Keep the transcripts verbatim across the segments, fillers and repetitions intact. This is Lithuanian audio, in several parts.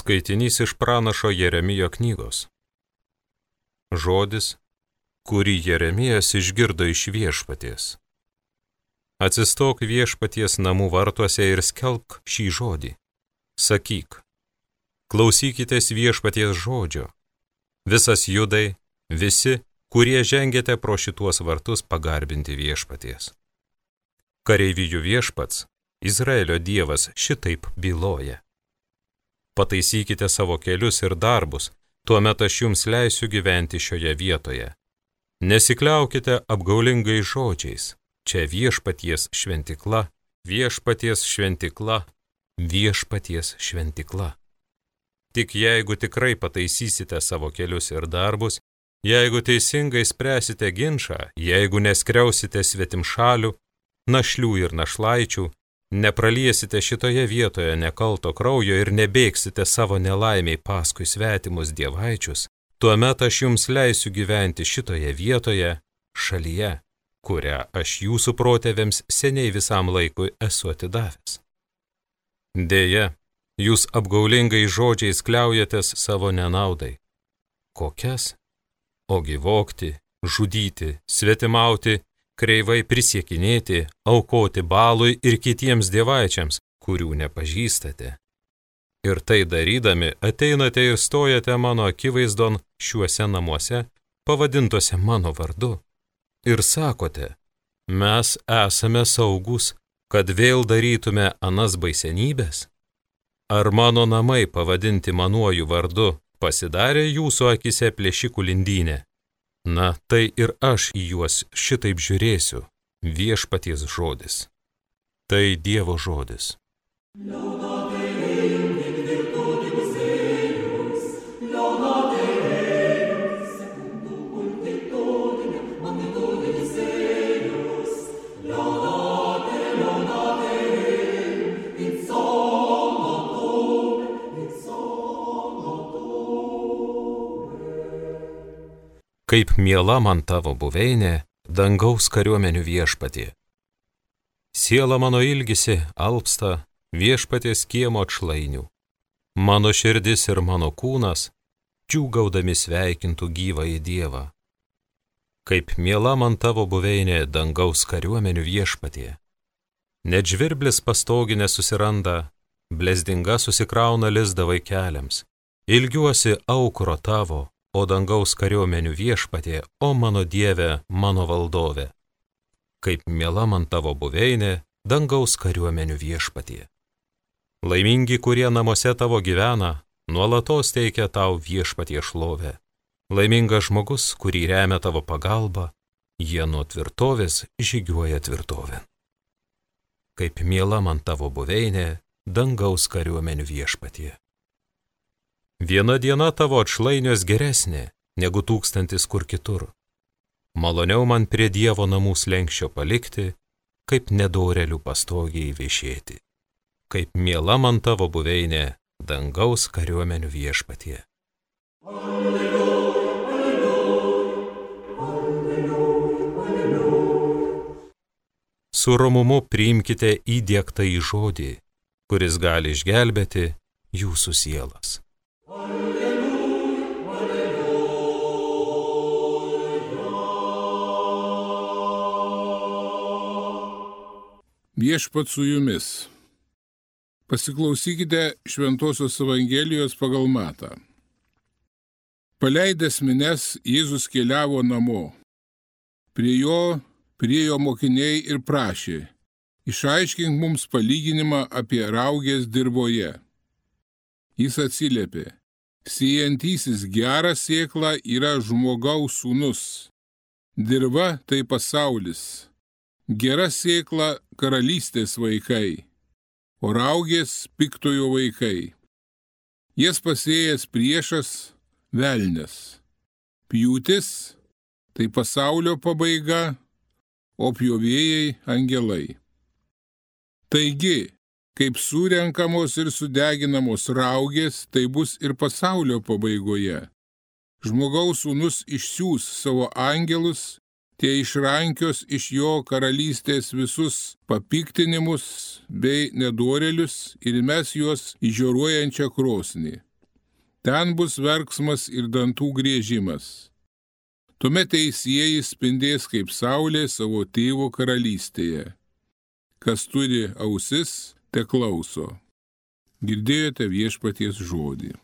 Skaitinys iš pranašo Jeremijo knygos. Žodis, kurį Jeremijas išgirdo iš viešpaties. Atsistok viešpaties namų vartuose ir skelbk šį žodį. Sakyk, klausykitės viešpaties žodžio. Visas Judai, visi, kurie žengėte pro šituos vartus pagarbinti viešpaties. Kareivijų viešpats, Izraelio dievas, šitaip byloja. Pataisykite savo kelius ir darbus, tuomet aš jums leisiu gyventi šioje vietoje. Nesikliaukite apgaulingai žodžiais. Čia viešpaties šventikla, viešpaties šventikla, viešpaties šventikla. Tik jeigu tikrai pataisysite savo kelius ir darbus, jeigu teisingai spręsite ginčą, jeigu neskriausite svetimšalių, našlių ir našlaičių, nepraliesite šitoje vietoje nekalto kraujo ir nebėgsite savo nelaimiai paskui svetimus dievaičius, tuomet aš jums leisiu gyventi šitoje vietoje, šalyje, kurią aš jūsų protėviams seniai visam laikui esu atidavęs. Deja, jūs apgaulingai žodžiais kliaujatės savo nenaudai. Kokias? Ogi vogti, žudyti, svetimauti, kreivai prisiekinėti, aukoti balui ir kitiems dievaičiams, kurių nepažįstate. Ir tai darydami ateinate ir stojate mano akivaizdon šiuose namuose, pavadintuose mano vardu. Ir sakote, mes esame saugus, kad vėl darytume anas baisenybės. Ar mano namai pavadinti manuoju vardu pasidarė jūsų akise plėšikų lindynė? Na, tai ir aš į juos šitaip žiūrėsiu, viešpaties žodis. Tai Dievo žodis. Kaip miela man tavo buveinė, dangaus kariuomenių viešpatie. Siela mano ilgisi alpsta viešpaties kiemo atšlainių. Mano širdis ir mano kūnas džiūgaudami sveikintų gyvąjį Dievą. Kaip miela man tavo buveinė, dangaus kariuomenių viešpatie. Net žvirblis pastoginė susiranda, blezdinga susikrauna lizdą vaikeliams. Ilgiuosi aukuro tavo, o dangaus kariuomenių viešpatie, o mano Dieve, mano valdove. Kaip miela man tavo buveinė, dangaus kariuomenių viešpatie. Laimingi, kurie namuose tavo gyvena, nuolatos teikia tau viešpatie šlovę. Laimingas žmogus, kurį remia tavo pagalba, jie nuo tvirtovės žygiuoja tvirtovėn. Kaip miela man tavo buveinė, dangaus kariuomenių viešpatie. Viena diena tavo atšlainios geresnė, negu tūkstantis kur kitur. Maloniau man prie Dievo namų slenkščio palikti, kaip nedorelių pastogiai viešėti. Kaip miela man tavo buveinė, dangaus kariuomenių viešpatie. Alleluja, alleluja, alleluja, alleluja. Su romumu priimkite įdiegtą į žodį, kuris gali išgelbėti jūsų sielas. Viešpat su jumis. Pasiklausykite Šventosios Evangelijos pagal Matą. Paleidęs minias, Jėzus keliavo namo. Prie jo priėjo mokiniai ir prašė, išaiškink mums palyginimą apie raugės dirvoje. Jis atsiliepė, sėjantysis gerą sėklą yra žmogaus sūnus. Dirva tai pasaulis. Gera sėkla karalystės vaikai, o raugės piktojo vaikai. Jas pasėjęs priešas velnias. Pjūtis tai pasaulio pabaiga, o pjovėjai angelai. Taigi, kaip surenkamos ir sudeginamos raugės, tai bus ir pasaulio pabaigoje. Žmogaus sūnus išsiųs savo angelus, tie išrankios iš jo karalystės visus papiktinimus bei nedorėlius ir mes juos į žioruojančią krosnį. ten bus verksmas ir dantų griežimas. Tuomet teisieji spindės kaip saulė savo tėvo karalystėje. Kas turi ausis, te klauso. Girdėjote viešpaties žodį.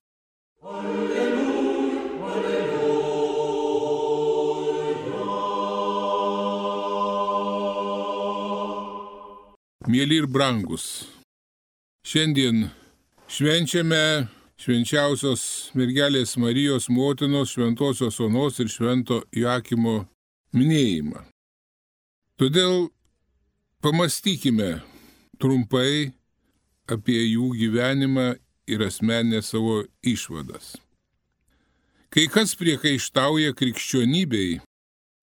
Mėly ir brangus, šiandien švenčiame švenčiausios mergelės Marijos motinos, šventosios Onos ir švento Joakimo minėjimą. Todėl pamastykime trumpai apie jų gyvenimą ir asmeninę savo išvadas. Kai kas priekaištauja krikščionybei,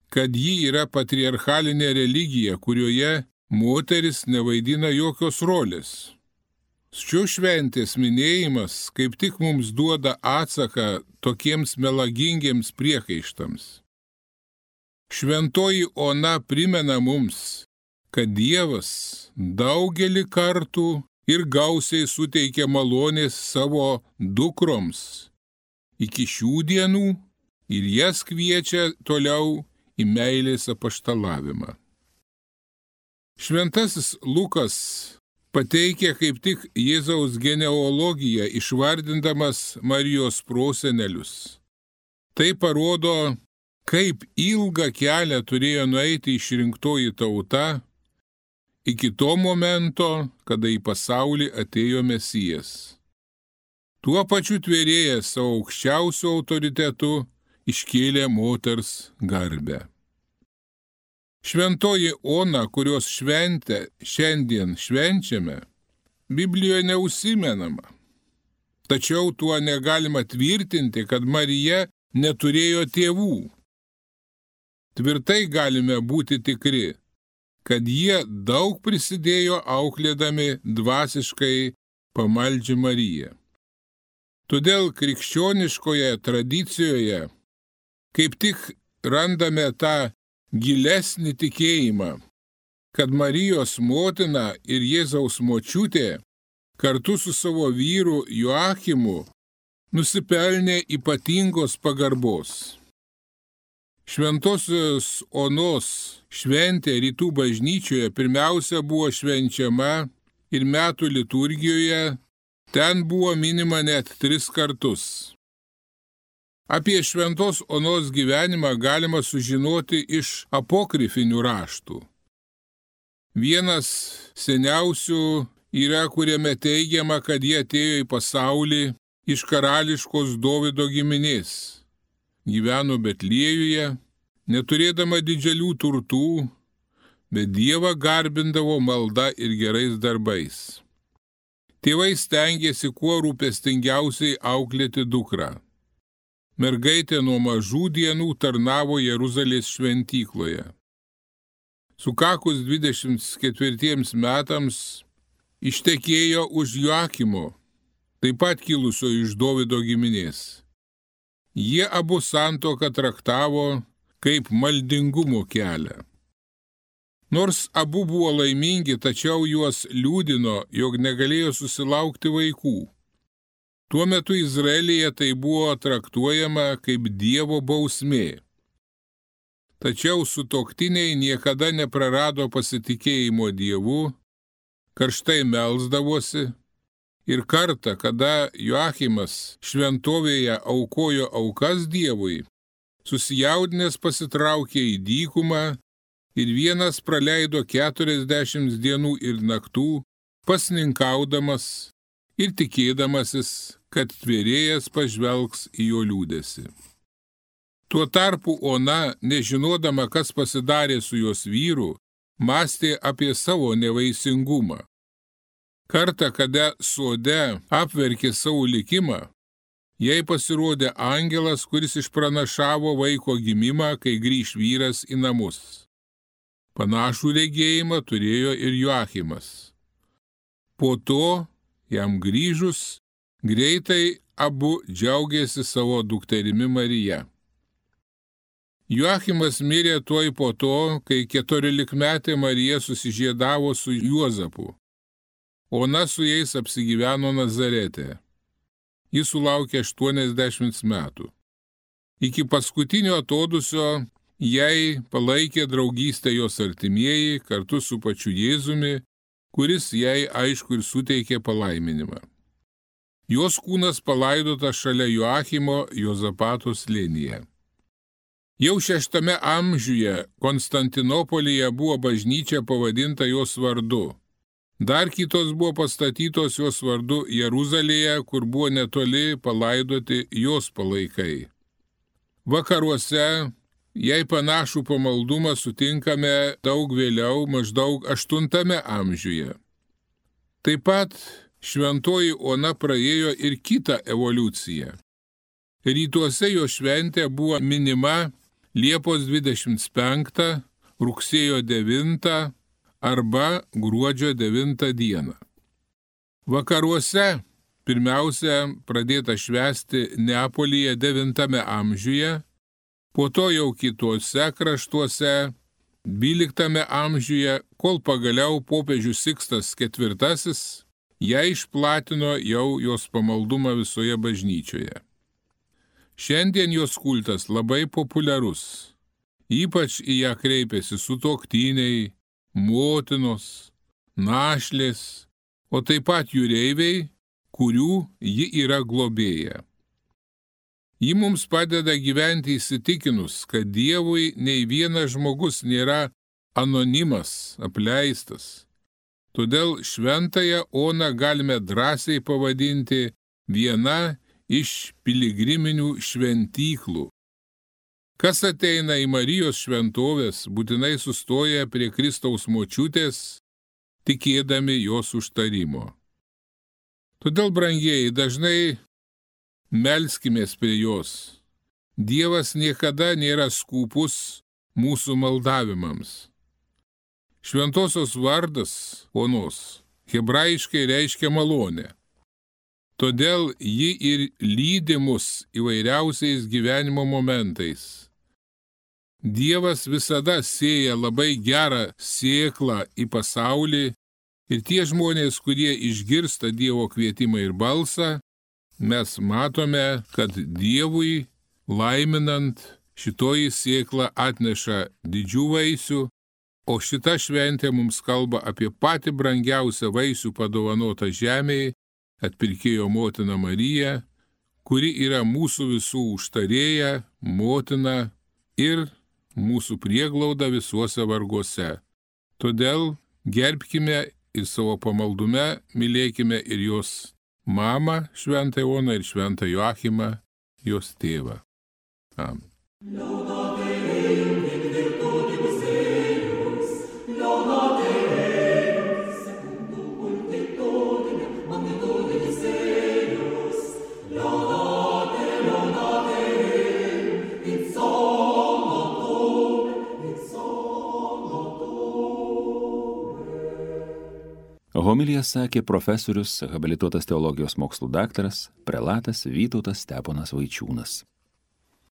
kad ji yra patriarchalinė religija, kurioje moteris nevaidina jokios rolės. Šios šventės minėjimas kaip tik mums duoda atsaką tokiems melagingiems priekaištams. Šventoji Ona primena mums, kad Dievas daugelį kartų ir gausiai suteikia malonės savo dukroms iki šių dienų ir jas kviečia toliau į meilės apaštalavimą. Šventasis Lukas pateikia kaip tik Jėzaus genealogiją, išvardindamas Marijos prosenelius. Tai parodo, kaip ilgą kelią turėjo nueiti išrinktoji tauta iki to momento, kada į pasaulį atėjo Mesijas. Tuo pačiu tvėrėjęs savo aukščiausiu autoritetu iškėlė moters garbę. Šventoji Ona, kurios šventę šiandien švenčiame, Biblijoje neužsimenama. Tačiau tuo negalima tvirtinti, kad Marija neturėjo tėvų. Tvirtai galime būti tikri, kad jie daug prisidėjo auklėdami dvasiškai pamaldžią Mariją. Todėl krikščioniškoje tradicijoje kaip tik randame tą gilesnį tikėjimą, kad Marijos motina ir Jėzaus močiutė kartu su savo vyru Joakimu nusipelnė ypatingos pagarbos. Šventosios Onos šventė rytų bažnyčioje pirmiausia buvo švenčiama ir metų liturgijoje, ten buvo minima net tris kartus. Apie šventos Onos gyvenimą galima sužinoti iš apokrifinių raštų. Vienas seniausių yra, kuriame teigiama, kad jie atėjo į pasaulį iš karališkos Dovydo giminės. Gyveno Betliejuje, neturėdama didelių turtų, bet Dievą garbindavo malda ir gerais darbais. Tėvai stengėsi kuo rūpestingiausiai auklėti dukrą. Mergaitė nuo mažų dienų tarnavo Jeruzalės šventykloje. Sukakus dvidešimt ketvirtiems metams ištekėjo už Joakimo, taip pat kilusio iš Dovydo giminės. Jie abu santuoką traktavo kaip maldingumo kelią. Nors abu buvo laimingi, tačiau juos liūdino, jog negalėjo susilaukti vaikų. Tuo metu Izraelyje tai buvo traktuojama kaip Dievo bausmė. Tačiau sutuoktiniai niekada neprarado pasitikėjimo Dievu, karštai melsdavosi ir kartą, kada Joakimas šventovėje aukojo aukas Dievui, susijaudinęs pasitraukė į dykumą ir vienas praleido keturiasdešimt dienų ir naktų, pasninkaudamas ir tikėdamasis, kad tvėrėjas pažvelgs į jo liūdesį. Tuo tarpu Ona, nežinodama, kas pasidarė su jos vyru, mąstė apie savo nevaisingumą. Kartą, kada sode apverkė savo likimą, jai pasirodė angelas, kuris išpranašavo vaiko gimimą, kai grįš vyras į namus. Panašų regėjimą turėjo ir Joakimas. Po to, jam grįžus, greitai abu džiaugėsi savo dukterimi Marija. Joakimas mirė tuoj po to, kai keturiolikmetė Marija susižiedavo su Juozapu. Ona su jais apsigyveno Nazarete. Jis sulaukė aštuoniasdešimt metų. Iki paskutinio atodusio jai palaikė draugystę jos artimieji kartu su pačiu Jėzumi, kuris jai aišku ir suteikė palaiminimą. Jos kūnas palaidotas šalia Joachimo Jozapato slėnyje. Jau šeštame amžiuje Konstantinopolyje buvo bažnyčia pavadinta jos vardu. Dar kitos buvo pastatytos jos vardu Jeruzalėje, kur buvo netoli palaidoti jos palaikai. Vakaruose jai panašų pamaldumą sutinkame daug vėliau, maždaug aštuntame amžiuje. Taip pat šventoji Ona praėjo ir kitą evoliuciją. Rytuose jo šventė buvo minima Liepos dvidešimt penktą, rugsėjo devintą arba gruodžio devintą dieną. Vakaruose pirmiausia pradėta švęsti Neapolyje devintame amžiuje, po to jau kitose kraštuose dvyliktame amžiuje, kol pagaliau popiežius Sikstas ketvirtasis ją išplatino jau jos pamaldumą visoje bažnyčioje. Šiandien jos kultas labai populiarus, ypač į ją kreipiasi sutuoktiniai, motinos, našlės, o taip pat jūreiviai, kurių ji yra globėja. Ji mums padeda gyventi įsitikinus, kad Dievui nei vienas žmogus nėra anonimas, apleistas. Todėl šventąją Oną galime drąsiai pavadinti viena iš piligriminių šventyklų. Kas ateina į Marijos šventovės, būtinai sustoja prie Kristaus močiutės, tikėdami jos užtarimo. Todėl, brangieji, dažnai melskimės prie jos. Dievas niekada nėra skūpus mūsų maldavimams. Šventosios vardas Onos hebrajiškai reiškia malonę. Todėl ji ir lydi mus įvairiausiais gyvenimo momentais. Dievas visada sėja labai gerą sėklą į pasaulį ir tie žmonės, kurie išgirsta Dievo kvietimą ir balsą, mes matome, kad Dievui laiminant šitoji sėkla atneša didžių vaisių, o šita šventė mums kalba apie patį brangiausią vaisių padovanotą žemėje, atpirkėjo motiną Mariją, kuri yra mūsų visų užtarėja, motina ir mūsų prieglauda visuose varguose. Todėl gerbkime ir savo pamaldume mylėkime ir jos mamą, šventąją Oną, ir šventą Joachimą, jos tėvą. Amen. Homiliją sakė profesorius, habilituotas teologijos mokslų daktaras, prelatas Vytautas Steponas Vaičiūnas.